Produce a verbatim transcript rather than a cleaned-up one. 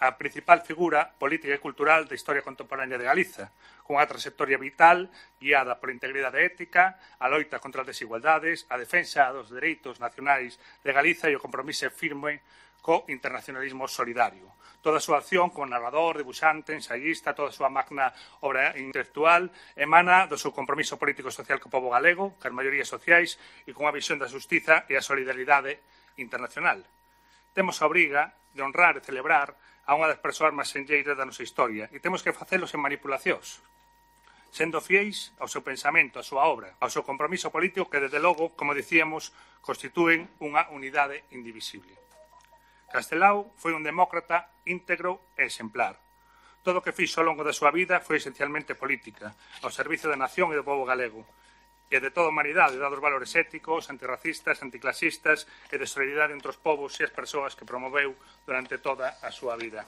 a principal figura política e cultural da historia contemporánea de Galiza, cunha trayectoria vital guiada por integridade ética, a loita contra as desigualdades, a defensa dos dereitos nacionais de Galiza e o compromiso firme co internacionalismo solidario. Toda a súa acción como narrador, debuxante, ensayista, toda a súa magna obra intelectual emana do seu compromiso político e social co pobo galego, cas maiorías sociais e cunha visión da xustiza e a solidaridade internacional. Temos a obriga de honrar e celebrar a unha das persoas máis senlleiras da nosa historia e temos que facelo sen manipulacións, sendo fiéis ao seu pensamento, á súa obra, ao seu compromiso político que, desde logo, como dicíamos, constitúen unha unidade indivisible. Castelao foi un demócrata íntegro e exemplar. Todo o que fixo ao longo da súa vida foi esencialmente política, ao servicio da nación e do pobo galego, e de toda a humanidade, dados valores éticos, antirracistas, anticlasistas e de solidaridade entre os povos e as persoas que promoveu durante toda a súa vida.